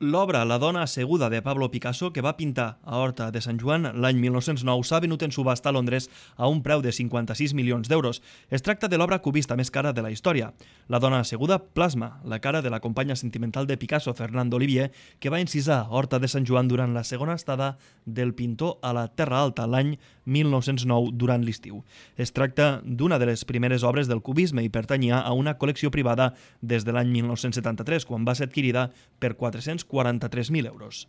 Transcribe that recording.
L'obra La dona asseguda de Pablo Picasso, que va pintar a Horta de Sant Joan l'any 1909, s'ha venut en subhasta a Londres a un preu de 56 milions d'euros. Es tracta de l'obra cubista més cara de la història. La dona asseguda plasma la cara de la companya sentimental de Picasso, Fernando Olivier, que va encisar a Horta de Sant Joan durant la segona estada del pintor a la Terra Alta l'any 1909 durant l'estiu. Es tracta d'una de les primeres obres del cubisme i pertanyia a una col·lecció privada des de l'any 1973, quan va ser adquirida per 443.000 euros.